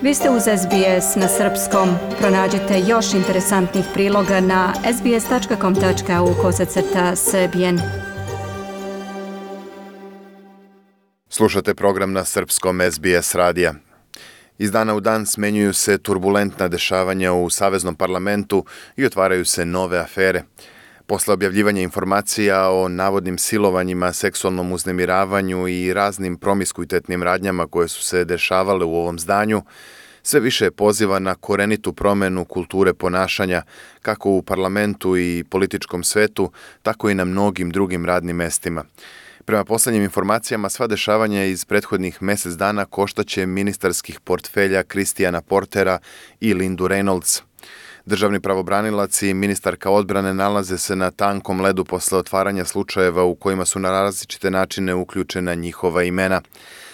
Vi ste uz SBS na srpskom. Pronađite još interesantnih priloga na sbs.com.au/srbijen. Slušate program na srpskom SBS radija. Iz dana u dan smenjuju se turbulentna dešavanja u Saveznom parlamentu i otvaraju se nove afere. Posle objavljivanja informacija o navodnim silovanjima, seksualnom uznemiravanju i raznim promiskuitetnim radnjama koje su se dešavale u ovom zdanju, sve više poziva na korenitu promenu kulture ponašanja, kako u parlamentu i političkom svetu, tako i na mnogim drugim radnim mestima. Prema poslednjim informacijama, sva dešavanja iz prethodnih mesec dana koštaće ministarskih portfelja Christiana Portera i Lindu Reynolds. Državni pravobranilac i ministarka odbrane nalaze se na tankom ledu posle otvaranja slučajeva u kojima su na različite načine uključena njihova imena.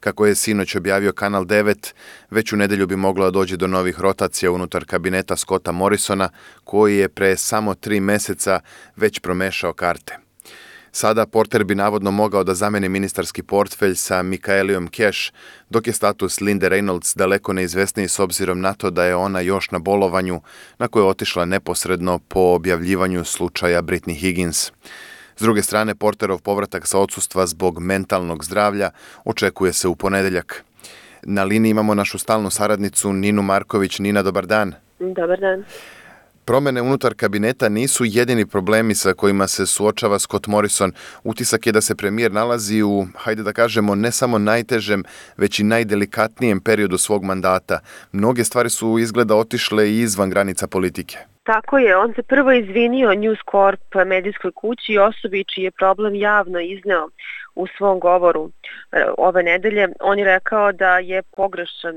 Kako je sinoć objavio Kanal 9, već u nedelju bi moglo da dođe do novih rotacija unutar kabineta Scotta Morrisona, koji je pre samo 3 meseca već promešao karte. Sada Porter bi navodno mogao da zameni ministarski portfelj sa Michaeliom Cash, dok je status Linde Reynolds daleko neizvesniji s obzirom na to da je ona još na bolovanju, na koje je otišla neposredno po objavljivanju slučaja Britney Higgins. S druge strane, Porterov povratak sa odsustva zbog mentalnog zdravlja očekuje se u ponedeljak. Na liniji imamo našu stalnu saradnicu Ninu Marković. Nina, dobar dan. Dobar dan. Promene unutar kabineta nisu jedini problemi sa kojima se suočava Scott Morrison. Utisak je da se premijer nalazi u, hajde da kažemo, ne samo najtežem, već i najdelikatnijem periodu svog mandata. Mnoge stvari su izgleda otišle i izvan granica politike. Tako je, on se prvo izvinio News Corp medijskoj kući i osobi čiji je problem javno izneo u svom govoru ove nedelje. On je rekao da je pogrešan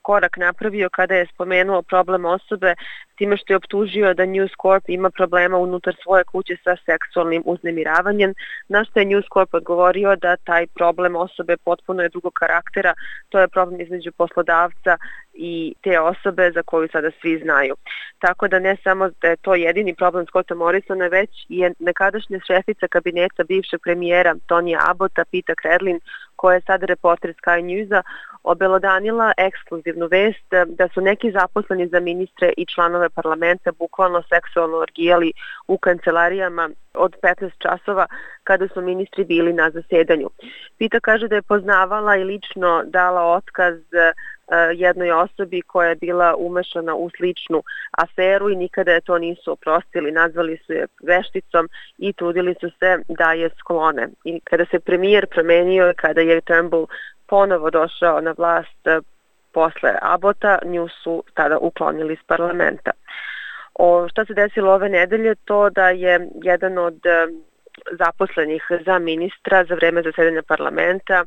korak napravio kada je spomenuo problem osobe time što je optužio da News Corp ima problema unutar svoje kuće sa seksualnim uznemiravanjem, na što je News Corp odgovorio da taj problem osobe potpuno je drugog karaktera, to je problem između poslodavca i te osobe za koju sada svi znaju. Tako da ne samo da je to jedini problem Scotta Morrisona, već je nekadašnja šefica kabineta bivšeg premijera Tonija Abbotta, Peta Credlin, koja je sada reporter Sky Newsa, obelodanila ekskluzivnu vest da su neki zaposleni za ministre i članove parlamenta bukvalno seksualno orgijali u kancelarijama od 15 časova kada su ministri bili na zasedanju. Peta kaže da je poznavala i lično dala otkaz jednoj osobi koja je bila umešana u sličnu aferu i nikada je to nisu oprostili, nazvali su je vešticom i trudili su se da je sklone. I kada se premijer promenio, kada je Turnbull ponovo došao na vlast posle Abbotta, nju su tada uklonili iz parlamenta. Šta se desilo ove nedelje? To da je jedan od zaposlenih za ministra za vreme zasedanja parlamenta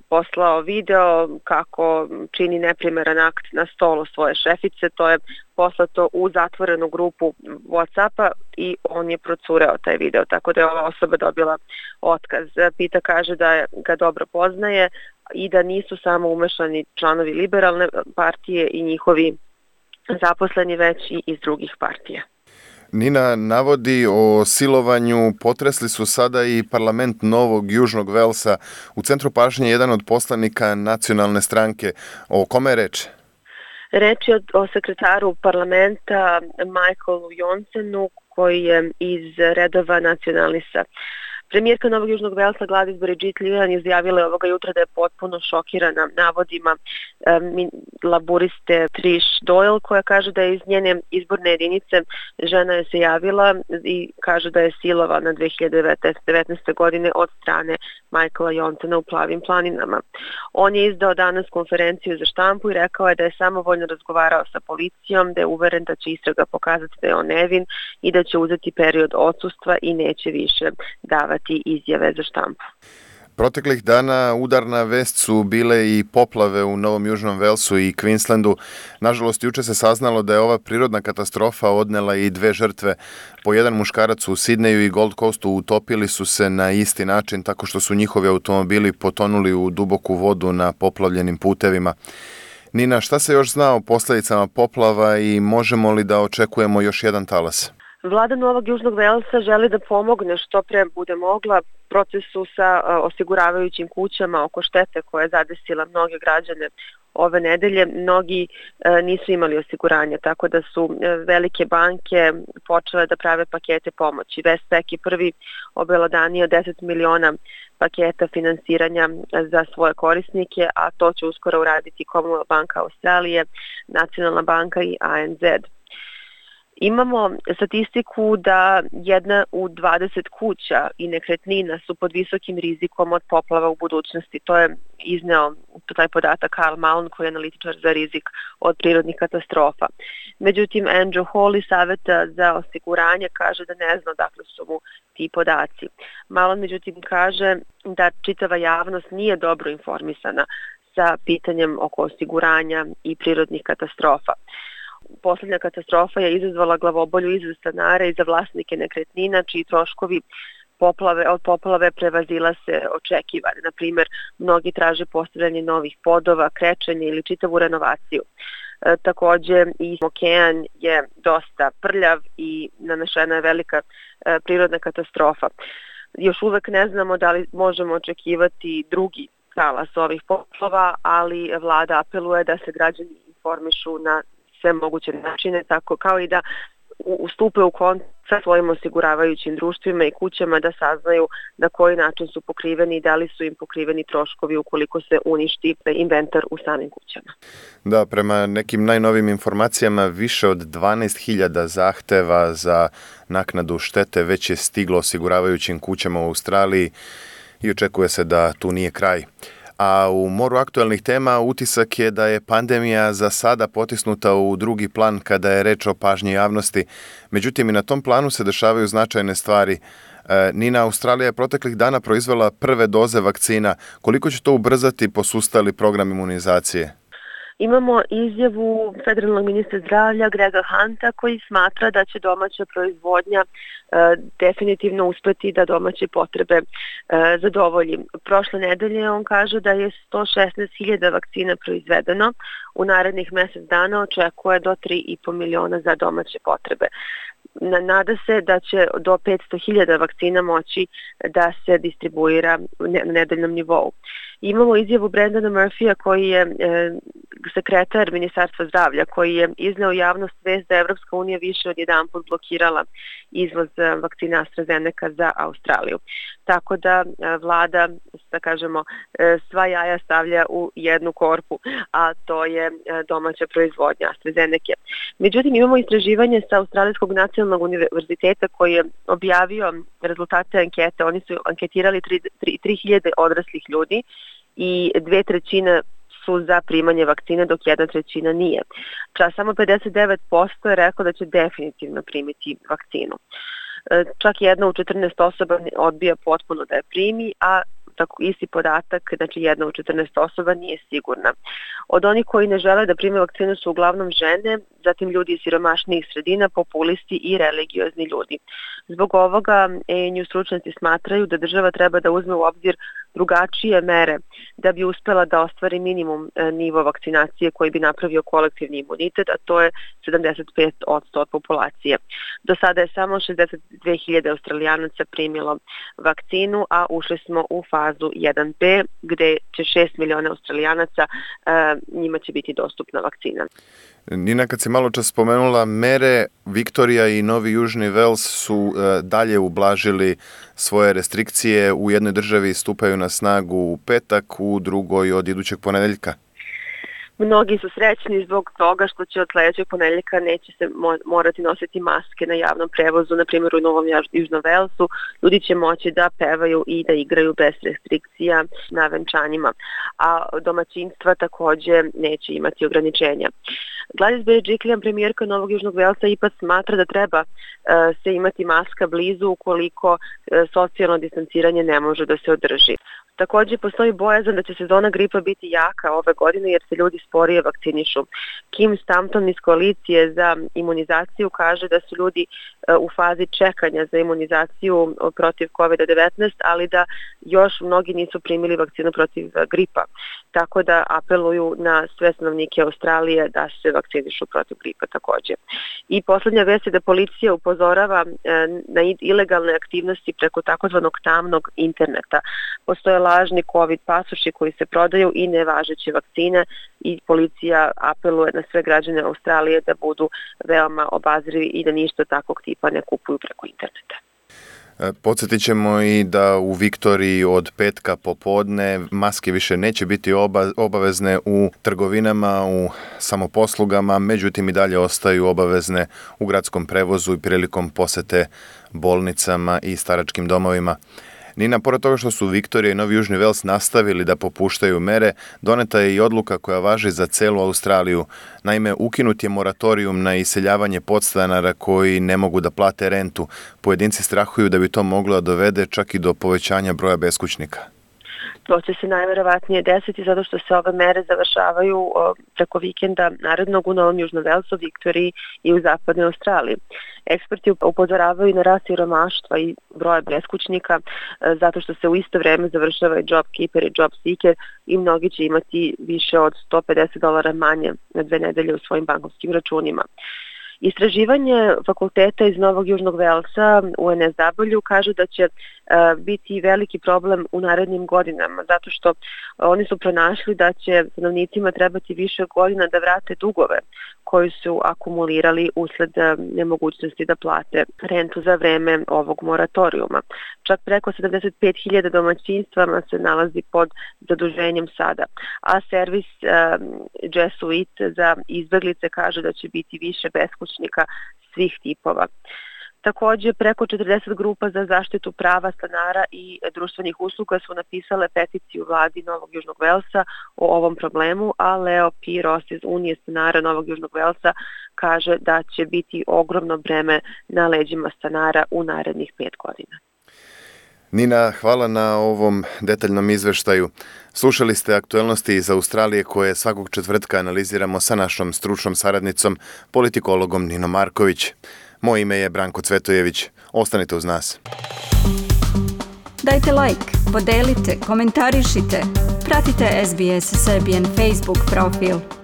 poslao video kako čini neprimeran akt na stolu svoje šefice. To je poslato u zatvorenu grupu WhatsAppa i on je procureo taj video, tako da je ova osoba dobila otkaz. Pita kaže da ga dobro poznaje i da nisu samo umešani članovi liberalne partije i njihovi zaposleni, već i iz drugih partija. Nina, navodi o silovanju potresli su sada i parlament Novog Južnog Velsa. U centru pažnje jedan od poslanika nacionalne stranke. O kome je reč? Reč je o sekretaru parlamenta Michaelu Johnsonu, koji je iz redova nacionalista. Premijerka Novog Južnog Velsa Gladys Berejiklian izjavila je ovoga jutra da je potpuno šokirana navodima laburiste Trish Doyle, koja kaže da je iz njene izborne jedinice žena je se javila i kaže da je silovana 2019. godine od strane Michaela Johnsona u Plavim planinama. On je izdao danas konferenciju za štampu i rekao je da je samovoljno razgovarao sa policijom, da je uveren da će istraga pokazati da je on nevin i da će uzeti period odsustva i neće više davati izjave za štampu. Proteklih dana udarna vest su bile i poplave u Novom Južnom Velsu i Queenslandu. Nažalost, juče se saznalo da je ova prirodna katastrofa odnela i 2 žrtve. Po jedan muškarac u Sidneju i Gold Coastu utopili su se na isti način tako što su njihovi automobili potonuli u duboku vodu na poplavljenim putevima. Nina, šta se još zna o posledicama poplava i možemo li da očekujemo još jedan talas? Vlada Novog Južnog Velsa želi da pomogne što pre bude mogla procesu sa osiguravajućim kućama oko štete koja je zadesila mnoge građane ove nedelje. Mnogi nisu imali osiguranja, tako da su velike banke počele da prave pakete pomoći. Westpac je prvi obelodanio 10 miliona paketa finansiranja za svoje korisnike, a to će uskoro uraditi Commonwealth banka Australije, Nacionalna banka i ANZ. Imamo statistiku da 1 u 20 kuća i nekretnina su pod visokim rizikom od poplava u budućnosti. To je izneo taj podatak Karl Malone, koji je analitičar za rizik od prirodnih katastrofa. Međutim, Andrew Hall iz Saveta za osiguranje kaže da ne zna odakle su mu ti podaci. Malone međutim kaže da čitava javnost nije dobro informisana sa pitanjem oko osiguranja i prirodnih katastrofa. Poslednja katastrofa je izazvala glavobolju i za stanare i za vlasnike nekretnina, čiji troškovi od poplave prevazila se očekivane. Na primer, mnogi traže postavljanje novih podova, krečenje ili čitavu renovaciju. Takođe i okean je dosta prljav i nanešena je velika prirodna katastrofa. Još uvek ne znamo da li možemo očekivati drugi talas ovih poplava, ali vlada apeluje da se građani informišu na sve moguće načine, tako kao i da ustupe u kontakt sa svojim osiguravajućim društvima i kućama da saznaju na koji način su pokriveni i da li su im pokriveni troškovi ukoliko se uništi inventar u samim kućama. Da, prema nekim najnovim informacijama više od 12.000 zahteva za naknadu štete već je stiglo osiguravajućim kućama u Australiji i očekuje se da tu nije kraj. A u moru aktuelnih tema utisak je da je pandemija za sada potisnuta u drugi plan kada je reč o pažnji javnosti. Međutim, i na tom planu se dešavaju značajne stvari. Nina, Australija je proteklih dana proizvela prve doze vakcina. Koliko će to ubrzati posustali program imunizacije? Imamo izjavu federalnog ministra zdravlja Grega Hunta koji smatra da će domaća proizvodnja definitivno uspeti da domaće potrebe zadovolji. Prošle nedelje on kaže da je 116.000 vakcina proizvedeno. U narednih mesec dana očekuje do 3,5 miliona za domaće potrebe. Nada se da će do 500.000 vakcina moći da se distribuira na nedeljnom nivou. Imamo izjavu Brendana Murphyja koji je sekretar Ministarstva zdravlja, koji je izneo javnost vest da Evropska unija više od jedanput blokirala izvoz vakcina AstraZeneca za Australiju. Tako da vlada, da kažemo, sva jaja stavlja u jednu korpu, a to je domaća proizvodnja AstraZeneca. Međutim, imamo istraživanje sa Australijskog nacionalnog univerziteta koji je objavio rezultate ankete. Oni su anketirali 3.000 odraslih ljudi i 2/3 su za primanje vakcine, dok 1/3 nije. Samo 59% je rekao da će definitivno primiti vakcinu. Čak 1 u 14 osoba odbija potpuno da je primi, a tako isti podatak, znači 1 u 14 osoba nije sigurna. Od onih koji ne žele da prime vakcinu su uglavnom žene, zatim ljudi iz siromašnijih sredina, populisti i religiozni ljudi. Zbog ovoga ANU stručnjaci smatraju da država treba da uzme u obzir drugačije mere da bi uspela da ostvari minimum nivo vakcinacije koji bi napravio kolektivni imunitet, a to je 75% od populacije. Do sada je samo 62.000 Australijanaca primilo vakcinu, a ušli smo u fazu 1B gde će 6 miliona Australijanaca, njima će biti dostupna vakcina. Nina, kad si malo čas spomenula mere, Viktorija i Novi Južni Vels su dalje ublažili svoje restrikcije. U jednoj državi stupaju na snagu u petak, u drugoj od idućeg ponedeljka. Mnogi su srećni zbog toga što će od sledećeg ponedeljka neće se morati nositi maske na javnom prevozu, na primjer u Novom Južnom Velsu. Ljudi će moći da pevaju i da igraju bez restrikcija na venčanjima, a domaćinstva takođe neće imati ograničenja. Gladys Berejiklian, premijerka Novog Južnog Velsa, ipak smatra da treba se imati maska blizu ukoliko socijalno distanciranje ne može da se održi. Takođe, postoji bojazan da će sezona gripa biti jaka ove godine jer se ljudi sporije vakcinišu. Kim Stampton iz koalicije za imunizaciju kaže da su ljudi u fazi čekanja za imunizaciju protiv COVID-19, ali da još mnogi nisu primili vakcinu protiv gripa. Tako da apeluju na sve stanovnike Australije da se vakcinišu protiv gripa također. I poslednja vest je da policija upozorava na ilegalne aktivnosti preko takozvanog tamnog interneta. Postoje lažni COVID pasoši koji se prodaju i nevažeće vakcine i policija apeluje na sve građane Australije da budu veoma obazrivi i da ništa takvog tipa ne kupuju preko interneta. Podsjetit ćemo i da u Viktoriji od petka popodne maske više neće biti obavezne u trgovinama, u samoposlugama, međutim i dalje ostaju obavezne u gradskom prevozu i prilikom posete bolnicama i staračkim domovima. Nina, pored toga što su Viktorija i Novi Južni Vels nastavili da popuštaju mere, doneta je i odluka koja važi za celu Australiju. Naime, ukinut je moratorijum na iseljavanje podstanara koji ne mogu da plate rentu. Pojedinci strahuju da bi to moglo da dovede čak i do povećanja broja beskućnika. To će se najverovatnije desiti zato što se ove mere završavaju preko vikenda narednog u Novom Južnom Velsu, Viktoriji i u zapadnoj Australiji. Eksperti upozoravaju na rast siromaštva i broja beskućnika zato što se u isto vreme završava i JobKeeper i JobSeeker i mnogi će imati više od $150 manje na 2 nedelje u svojim bankovskim računima. Istraživanje fakulteta iz Novog Južnog Velsa u UNSW kaže da će biti veliki problem u narednim godinama, zato što oni su pronašli da će stanovnicima trebati više godina da vrate dugove koji su akumulirali usled nemogućnosti da plate rentu za vreme ovog moratorijuma. Čak preko 75.000 domaćinstvama se nalazi pod zaduženjem sada, a servis Jesuit za izbeglice kaže da će biti više beskućnika svih tipova. Također, preko 40 grupa za zaštitu prava stanara i društvenih usluga su napisale peticiju vladi Novog Južnog Velsa o ovom problemu, a Leo P. Ross iz Unije stanara Novog Južnog Velsa kaže da će biti ogromno breme na leđima stanara u narednih 5 godina. Nina, hvala na ovom detaljnom izveštaju. Slušali ste aktuelnosti iz Australije koje svakog četvrtka analiziramo sa našom stručnom saradnicom, politikologom Ninom Marković. Moje ime je Branko Cvetojević. Ostanite uz nas. Dajte like, podelite, komentarišite. Pratite SBS Serbian Facebook profil.